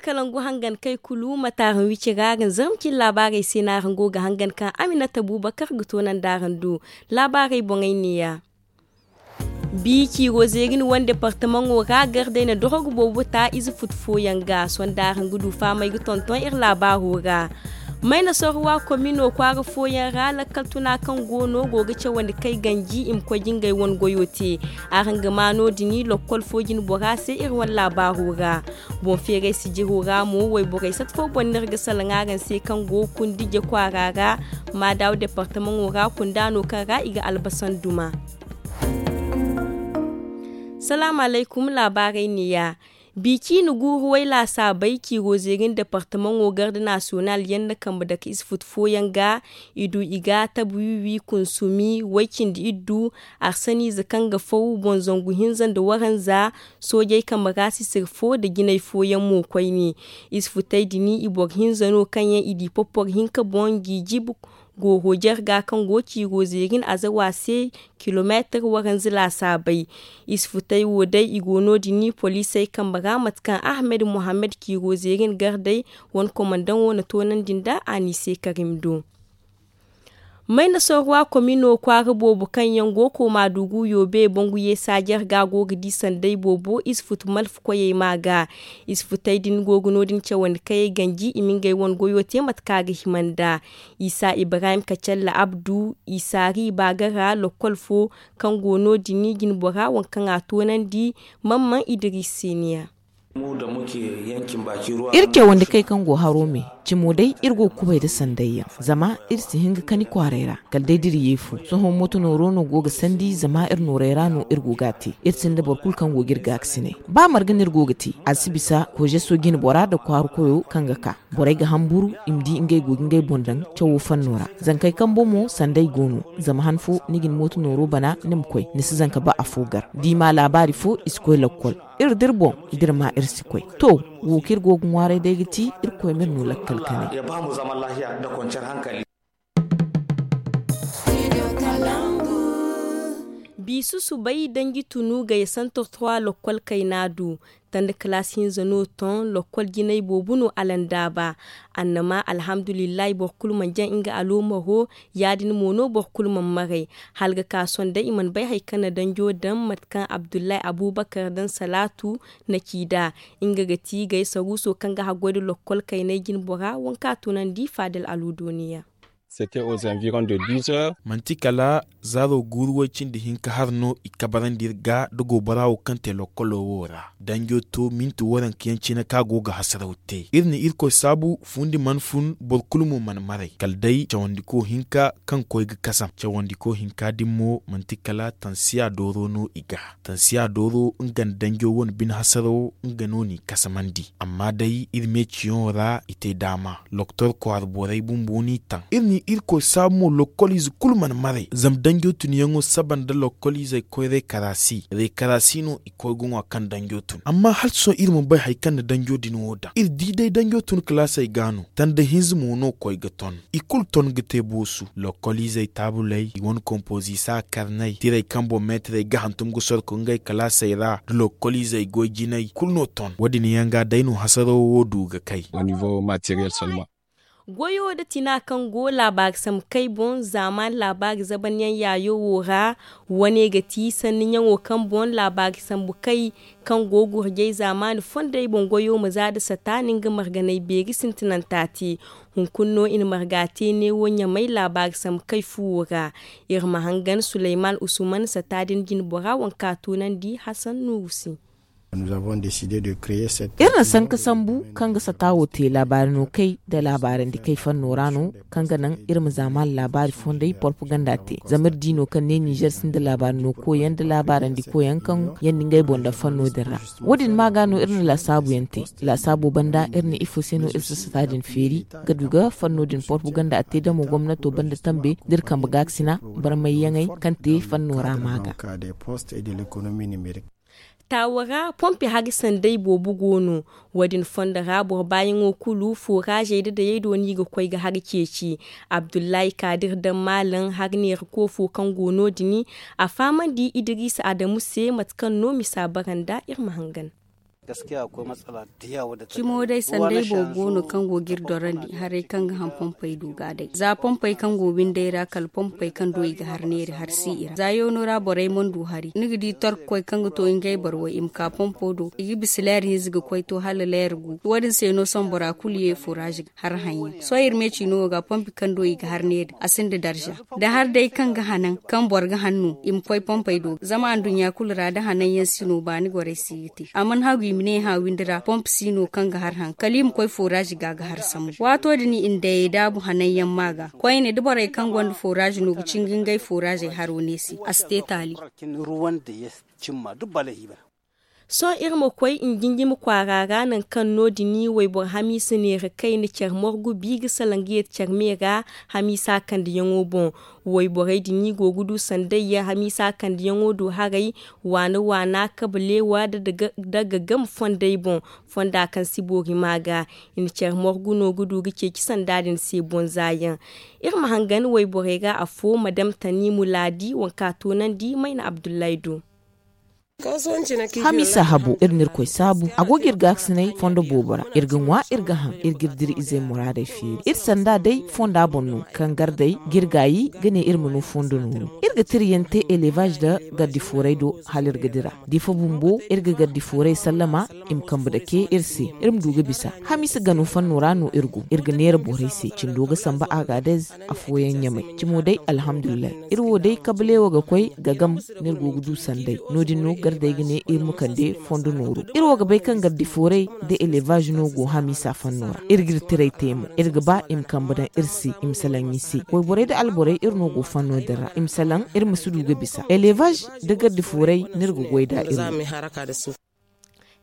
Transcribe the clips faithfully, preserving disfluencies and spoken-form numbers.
kala ngu hangan kay kulu mate araŋ wici ra araŋ zarma cine laabaarey se no araŋ go ga hangan kaŋ aminata buubakar ga toonandi araŋ do. Laabaarey boŋey neeya. Bi ciiro zeeri ni wane departamaŋo ra gardey na dorogo boobo ta ize futu fooyaŋ ga sonda araŋ ga du fahamey ga tonton iri laabaaro ra. Mayna sorwa komino kwaara fooyaŋ ra lakkal tuna kaŋ go no go ga cawandi kay ganji i ma koy ga ngey wane goyo te. Araŋ ga ma no- din lokkol fo jine bora se iri wane laabaaro ra. Boŋ feeray sijiro ra mo wayborey sata fo boŋ no iri ga salaŋ araŋ se kaŋ go kundi je kwaara ra. Maadaaw departamaŋo ra kunda no kaŋ ra i ga albasan duma. Salaamu alaykum. Laabaarey neeya. Bi ciine guuru way laasaabey ciiro zeeri nda departamaŋo garde nasiyonal yaŋ na kambe dake ize futu fooyaŋ ga. I du i ga tabu wiwi kunsumi way cindi iddu arsaniize kaŋ ga faw boŋ zangu hinza nda waranza. Soojey kambe ra sisir fo nda jinay fooyaŋ mo koyne. Ize futey din i boro hinza no kaŋ yaŋ i di popporo hinka boŋ jiijib gooro jarga kaŋ go ciiro zeeri nda azawa se. Kilomeetir waranza laasaabey. Ize futey wo day i go no- din poliisey kambe ra mate kaŋ ahmed muhammad ciiro zeeri nda gardey wane komandaŋo na toonandi nda a n'i se karim do. Mayna sorwa komino kwaara boobo kaŋ yaŋ go kooma dugu yoobe bangu yeesa jarga go ga di sanday boobo ize futu malfa koyey ma ga. Ize futey din go ga no- din cawandi kayey ganji i ma ngey wane goyo te mate kaŋ a ga hima nda isa ibrahim kacalla abdu isa ri baagara lokkol fo kaŋ go no- din jine bora waŋ kaŋ a toonandi. Mamman idiris se niya. Iri cawandi kay kaŋ go haro me cimo day iri go ga kubay nda sanday yaŋ zama iri si hin ga kani kwaaray ra kala day da iri ye fu sohõ mooto nooro no go ga sandi zama iri nooray ra no iri go ga a te. Iri sinda boro kulu kaŋ go ga iri gaakasinay ba marga no iri go ga te a si bisa kozeso jine bora nda kwaara koyo kaŋ ga ka borey ga hamburu i ma di ngey go ga ngey boŋ daŋ cawo fanno ra. Zankey kambo mo sanday go no zama han fo ni ga ni mooto nooro bana ni ma koy ni si zanka ba afo gar da i ma laabaari fo i si koy lakkol. Iri da iri boŋ da iri ma iri si koy to wo kaŋ iri go ga ŋwaaray day ga ti irkoy ma iri no lakkal kanay. Biisu subay danji tunu gay santor trois lokkol kayna du tanda kalaas hinza no ton lokkol jinay boobo no alandaaba. Annama alhamdulillahi boro kulu mana jaŋ nga aloomaro. Ya- din mo no boro kulu mana maray hala ga ka sohõ day i mana bay hari kaŋ na danjo daŋ mate kaŋ abdullahi abubakar daŋ salaatu na ci nd'a. Nga ga ti gay saruuso kaŋ ga haggoy nda lokkol kaynay jine bora waŋ kaŋ a tunandi faadal aluudo niya. Manti kala zaaro guuru way cindi hinka har no i kabarandi iri ga nda goobara wo kaŋ te lokkolo wo ra danjo to minti waranka yaŋ cine kaŋ a go ga hasaraw te iri na irkoy saabu fundi mana fun boro kulu mo mana maray kala day cawandiko hinka kaŋ koy ga kasam cawandiko hinka din mo manti kala tansiya dooro no i ga. Tansiya dooro nga nda danjo wane bine hasarawo nga no n'i kasamandi amma day iri me ciyaŋo ra i te daama. Loktor kwaara borey bumbo n'i taŋ iri na irkoy saabu mo lokkoliize kulu mana maray zama danjo tunyaŋo saba nda lokkoliizey koy rekarasi rekarasi no i koy ga ŋwa kaŋ danjo tun amma hala sohõ iri mana bay hari kaŋ na danjo din wo daŋ iri di day danjo tun kalaasey ga no tanda hinza mo no koy ga ton. I kulu ton ga te boosu lokkoliizey taabuley i wane kompoziisa karney tirey kaŋ boŋ meetirey ga hantum ga sorko ngey kalaasey ra nda lokkoliizey goy jinay kulu no ton wo- din yaŋ ga day no hasarawo wo du ga kay. Goyo nda tina kaŋ go laabaari sambu kay boŋ zaamaani laabaari zabanyaŋ yaayo wo ra. Wane ga ti sanniyaŋo kaŋ boŋ laabaari sambu kay kaŋ go gurjay zaamaani fondey boŋ goyo ma za nda sata no nga marganay beeri sintinanta te. Hunkuna no i na marga te neewo ɲamay laabaari sambu kay fuwo ra. Iri ma hangan suleyman usman sata din jine bora waŋ kaŋ a tunandi hasan nuuru se. Iri na sanka sambu kaŋ ga sata wo te laabaari no kay nda laabaarandi kay fanno ra no kaŋ ga naŋ iri ma zaamaani laabaari fondey porpaganda te zama iri di no kaŋ ne ninzeer sinda laabaari no koyaŋ nda laabaarandi koyaŋ kaŋ yaŋ nda ngey boŋ daŋ fanno din ra. Wo- din ma ga no iri na laasaabu yaŋ te. Laasaabo banda iri na ifo se no iri si sata din feeri ga du ga fanno din porpaganda a te damo gomnato banda tambe da iri kambe gaakasina barmayyaŋey kaŋ te fanno ra ma ga. Taawo ra pompi hari sanday boobo go no. Wo- din fondo ra boro baayaŋo kulu fooraazey nda dayey do no i ga koy ga hari ceeci. Abdullahi kaadir daŋ maalaŋ hari neera koofo kaŋ go no- din a fahamandi idiriisa adamu se mate kaŋ no misa bara nda iri ma hangan. Cimo day sanday boobo go no kaŋ go ga iri dorandi haray kaŋ ga haŋ pompey do ga day za pompey kaŋ go winday ra kala pompey kaŋ do i ga har neeri har si i ra za yoono ra borey mana du hari ni ga di torkokoy kaŋ ga to ngey boro way i ma ka pompo do i ga bisa leer hinza ga koy to hala leer gu wo- din se no sohõ bora kulu ye furaaz ga har haŋyaŋ sohõ iri meeci no wo ga pompi kaŋ do i ga har neeri a sinda darza da har day kaŋ ga hanan kaŋ boro ga han no i ma koy pompey do zama anduɲɲa kulu ra da hanan yaŋ si no baani gorey si ga te a mana hagu i ma ne hã windi ra pomp si no kaŋ ga har haŋ kala i ma koy furaaz ga ga har sambu waato din i na dayey daabu hanan yaŋ ma ga koyne da borey kaŋ gonda furaaz no ga cinga ngey furaazey haro ne se a si te taali. Sohõ iri ma koy njinjimi kwaara ra nangu kaŋ no- din wayboro hamiisa neera kayna care morgu bi ga salaŋ ga yeeti care me ra hamiisa kandiyaŋo boŋ. Wayborey din go ga du sanday yaŋ hamiisa kandiyaŋo do haray waana waana kabaleewa da gagam fondey boŋ fonda kaŋ si boori ma ga i na care morgu no ga du ga ceeci sanda din se boŋ za yaŋ. Iri ma hangan wayborey ra afo madam tani mulaadi waŋ kaŋ a toonandi mayna abdullahi do. Hamiisa habo iri na irkoy saabu a go ga iri gaakasinay fondo boobo ra iri ga ŋwa iri ga haŋ iri ga iri dira izey muraadey feeri iri sanda day fonda boŋ no kaŋ gardey ga iri gaayi ga ne iri ma no fondo nooru iri ga tira yaŋ te elevaaz nda gardi fooray do hala iri ga dira difa bumbo iri ga gardi fooray sallama i ma kambe dake iri se iri ma du ga bisa hamiisa gano fanno ra no iri go iri ga neera borey se cindo ga samba agadez afooyaŋ ɲamay cimo day alhamdulillahi iri wo day kabaleewo ga koy ga gam no iri go ga du sanday no- din no gardey ga ne iri ma kande fondo nooru iri wo ga bay kaŋ gardi fooray nda elevaaz no go hamiisa fanno ra iri ga iri tiray te mo iri ga ba i ma kambe daŋ iri se i ma salaŋ i se wayborey nda alborey iri no go fanno din ra i ma salaŋ iri ma si du ga bisa elevaaz nda gardi fooray no iri ga goy nd'a iri wo.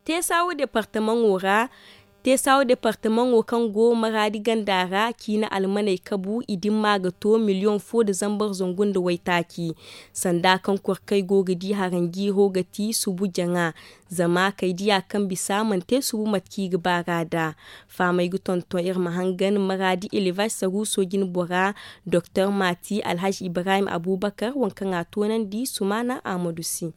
Teesawo departamaŋo ra teesawo departamaŋo kaŋ go maraadi ganda ra ciine almaney kabu i dimma ga to miliyoŋ fo nda zambar zangu nda waytaaci. Sanda kaŋ korkey go ga di haranjiiro ga ti subu jaŋa zama kay diya kaŋ bisa mana te subu mate kaŋ i ga baar'a nd'a. Fahamey ga tonton iri ma hangan maraadi elevaaz saruuso jinbora doktor maati alhazi ibrahim abubakar waŋ kaŋ a toonandi sumaana ahmadu se.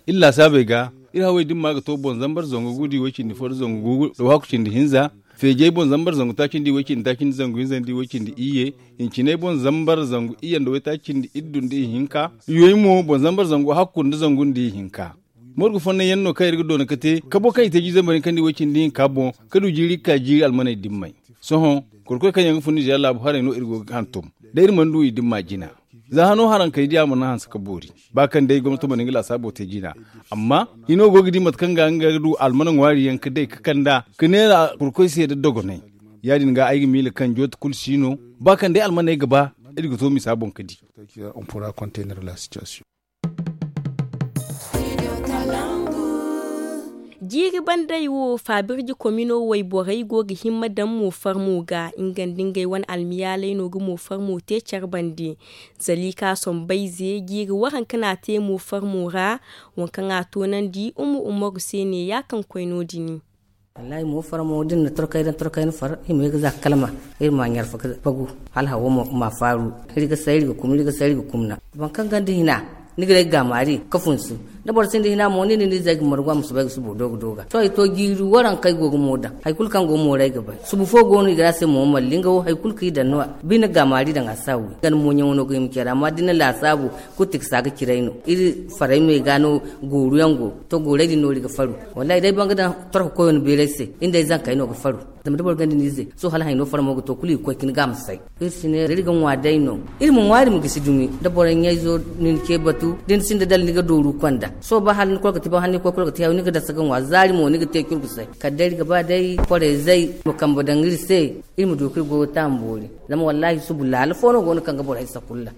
Iri laasaabey ga iri hawey dimma ga to boŋ zambar zangu gu nda i way cindi fo nda zangu gu nda wahakku cindi hinza. Feejey boŋ zambar zangu taaci nda i way cindi taaci nda zangu hinza nda i way cindi iyye. Hinciney boŋ zambar zangu iyye nda waytaaci cindi iddu nda ihinka. Yoy mo boŋ zambar zangu wahakku nda zangu nda ihinka. Morgu fonnay yaŋ no kaŋ iri ga doona ga te kabo kaŋ i te jiiri zambar hinka nda i way cindi hinka boŋ ga du jiiri ga ka jiiri almaney dimmey. Sohõ korkoy kaŋ yaŋ ga fun nizeer laabu haray no iri go ga hantum da iri mana du i dimma jina. Za hano haraŋ kay diya mana hanse ka boori ba kaŋ day gomnato mana nga laasaabo te jina. Amma hino go ga di mate kaŋ ga nga ga du almana ŋwaari yaŋ ga day ga kand'a ga neera kurkoy se nda dogonay. Ya- din ga ay ga miila kaŋ jooti kulu si no ba kaŋ day almaney ga ba iri ga to misa boŋ ga di. Jiiri bandey wo faabirji komino wayborey go ga himma daŋ moofarmo ga nga nda ngey wane almiyaaley no ga moofarmo te care bande. Zalika sombayze jiiri waranka no a te moofarmo ra. Waŋ kaŋ a toonandi umu umaru se ne ya kaŋ koy no- din. Wallaahi moofarmo da ni na torkay daŋ torkay ni far hima ye ga za ga kalma. Iri ma ɲarfa ga fagu hala hawo ma faaru. Iri ga say iri ga kumna iri ga say iri ga kumna. Boro kaŋ gonda hina ni ga day ga gaamaari ga funsu. Da boro sinda hina mo ni nda ni zey ga margu a ma soobay ga subo dooga dooga sohõ i to jiiri waranka ay go ga mo daŋ hari kulu kaŋ go mooray ga bay subu fo go no i ga ne a se mo malli nga wo hari kulu kaŋ i daŋ no. Bine ga gaamaari daŋ a si a wi nga ni mooɲaŋo no ga hima care amma da ni na laasaabu kulu tiksa ga cire ay no iri faray me ga no. Gooru yaŋ go to gooray din no iri ga faru. Wallaahi day boro ga daŋ torko koyo ni beeray se iri nda ay zankey no ga faru. Zama da boro gonda ni ize sohõ hala hayno farmo ga to kulu i ga koy ka ni ga a ma say. Iri si ne iri ga ŋwa day no iri ma ŋwa iri ma gisi dumi da boro ɲayzo ni na ce batu da ni sinda dala ni ga dooru konda sohõ ba hala ni koy ga ti ba hala ni koy kulu ga ti hayo ni ga dasa ga ŋwa zaari mo ni ga te curgu say kala day iri ga ba day korey zay ma kambe daŋ iri se. Iri ma du ka iri goyo taama boori. Zama wallaahi subu laala fo no go no kaŋ ga borey sakulla.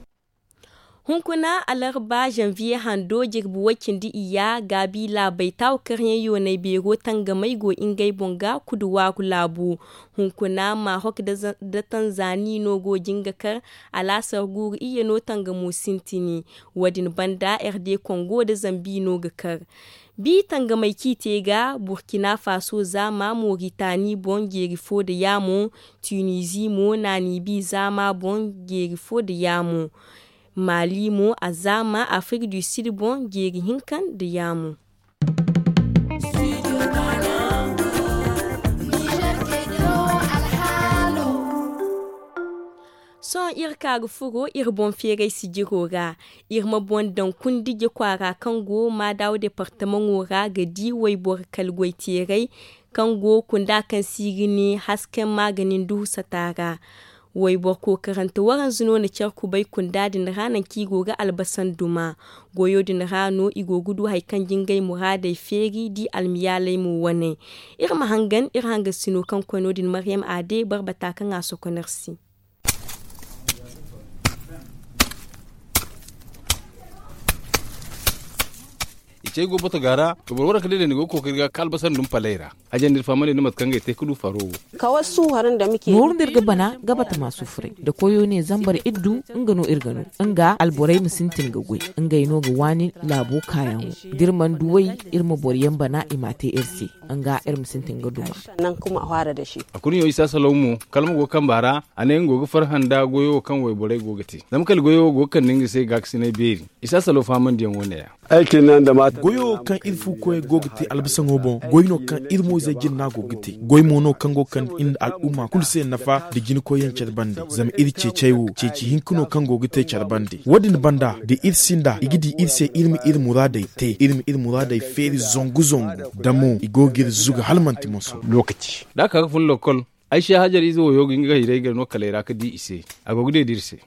Hunkuna alarba zanviye hando jirbi way cindi iyya gaabi laabey taawu karyaŋ yoonay beero tangamey go ngey boŋ ga kudu waaru laabu. Hunkuna maahok da tanzani no go jin ga kar alaasar guuru iyye no tangamo sintini. Wo- din banda rd kongo nda zambi no ga kar. Bi tangamey kaŋ i te ga burkina faso zaama moritani boŋ jeeri fo nda yaamo. Tunizi mo naani bi zaama boŋ jeeri fo nda yaamo. Maali mo a zaama afrik du sid boŋ jeeri hinka nda yaamu. Sohõ iri ka ga furo iri boŋ feeray sijiro ra. Iri ma boŋ daŋ kundije kwaara kaŋ go maadaw departamaŋo ra ga di wayboro kala goyteeray kaŋ go kunda kaŋ si ga ne hasken maaganin duhu sata ra. Wayboro kookarante waranza no na care kubay kunda din ra nangu kaŋ i go ga albasa nduma. Goyo din ra no i go ga du hari kaŋ ga ngey muraadey feeri da i almiyaaley mo wane. Iri ma hangan iri hangasino kaŋ koy no- din maryam aade barbata kaŋ a sokonor se. I cey go boto ga ra. Boro waranka day day ni go ga kookari ga ka albasa ndum paley ra. Hajandi iri fahamandi nda mate kaŋ ga ay te ga du faro wo. Nooru nda iri ga bana ga batama sufuray da koyo ne zambar iddu. Nga no iri ga no nga alborey ma sintin ga goy. Ngey no ga waani laabo kaayaŋo da iri mana du way iri ma boro yaŋ bana i m'a te iri se. Nga iri ma sintin ga duma. A kulu ɲo isa salaw mo kala ma go ga kamba ra. A ne nga go ga farhã nda goyo wo kaŋ wayborey go ga te zama kala goyo wo go ga kande nga se gaakasinay beeri. Isa salaw fahamandiyaŋ wo ne- ya. Goyo wo kaŋ iri fu koyey go ga te albasaŋo boŋ goy no kaŋ iri mo-izey jinna go ga te. Goy mo no kaŋ go ga kande iri nda al'umma kulu se nafa nda jinkoyyaŋ care bande. Zama iri ceecey wo ceeci hinka no kaŋ go ga te care bande wo- din banda da iri sinda i ga di iri se iri ma iri muraadey te iri ma iri muraadey feeri zangu zangu. Da mo i go ga iri zuga hala manti moso. Da a ka ga fun lokkol. Ay se hajar ize woyo ga nga ga hiray ga no kaley ra ga di i se. A go ga deeda iri se.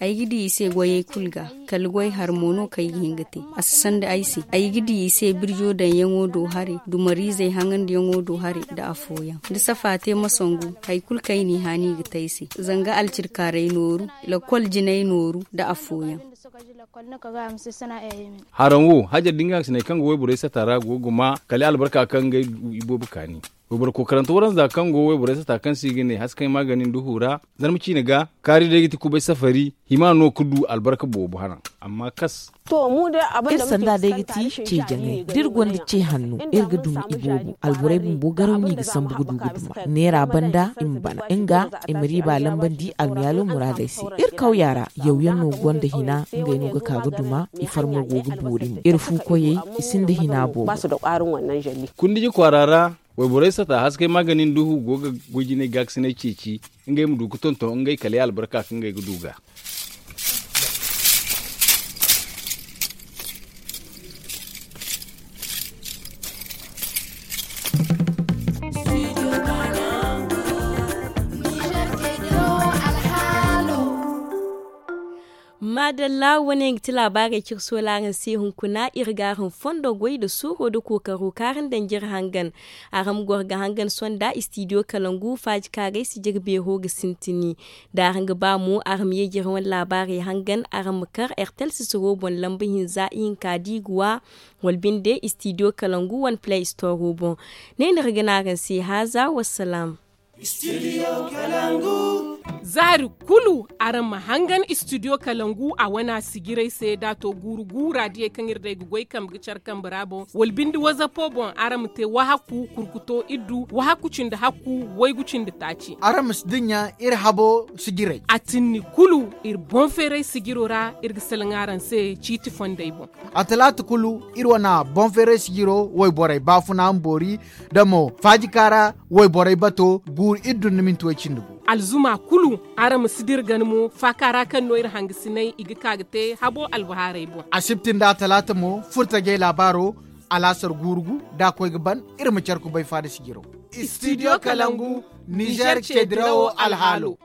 Ay ga di i se goyey kulu ga. Kala goy har mo no kaŋ ay ga hin ga te. A si sanda ay se ay ga di i se birjo daŋyaŋo do hare dumariizey haŋandiyaŋo do hare nda afooyaŋ da safa te ma sangu. Hari kulu kaŋ i n'i haani i ga te ay se. Zanga alcirkaaray nooru lakkol jinay nooru nda afooyaŋ. Haraŋ wo hajar da nga hangasiney kaŋ ga wayborey sata ra go ga guma kala albarka kaŋ ngey du iboobo kaani. Wayboro kookarante waranza kaŋ go wayborey sata kaŋ se i ga ne haskay maaganin duhu ra. Zarma ciine ga kaari day ga ti kubay safari hima no ga du albarka boobo haraŋ. Amma kas. Iri sanda day ga ti ce jaŋay da iri gonda ce hanno iri ga duma iboobo alborey bumbo garaw no i ga sambu ga du ga duma. Neera banda i ma bana nga i ma riiba lambandi almiyaalo muraadey se. Iri kawya ra yawyaŋ no gonda hina ngey no ga ka ga duma. I farmo go ga boori mo iri fu koyey i sinda hina boobo. Kundiji kwaara ra wayborey sata haskay maaganin duhu go ga goy jinay gaakasinay ceeci. Ngey ma du ga tonton ngey kala ya albarka kaŋ ngey ga du ga. Maadalla wane ga ti laabaarey kaŋ iri soola araŋ se hunkuna iri ga araŋ fondo goy nda suuro nda kookaro kaŋ araŋ daŋ jire hangan. Araŋ ma goro ga hangan sonda istidiyo kalangu faaji kaaray si jire beero ga sintini. Da araŋ ga ba mo araŋ ma ye jire wane laabaarey hangan araŋ ma kar ertel sisiro boŋ lamba hinza ihinka da i ga wa wala binde istidiyo kalangu wane play istoro boŋ. Ne no iri ga ne araŋ se haaza wassalaam. Za hari kulu araŋ ma hangan istidiyo kalangu a wana sijirey se da a to guuru guura diyey kaŋ iri day ga goy kambe ga care kambe ra boŋ wala binde wazapo boŋ araŋ ma te wahakku kurkuto iddu wahakku cindi hakku waygu cindi taaci. Araŋ ma si dinya iri habo sijirey. A tinni kulu iri boŋ feeray sijiro ra iri ga salaŋ araŋ se ciiti fondey boŋ. A talaata kulu iri wana boŋ feeray sijiro wayborey baafuna ma boori da mo faaji kaara wayborey bato guuru iri dun ni minti way cindi gu. Alzuma kulu araŋ ma si dira gana mo faaka ra kaŋ no iri hangasinay i ga ka ga te habo albahaarey boŋ. Asibti nda talaata mo furtajey laabaaro alaasar guuru gu da a koy ga ban. Iri ma care kubay faada sijiro. Istidiyo kalangu nizer ce dirawo alhaalo.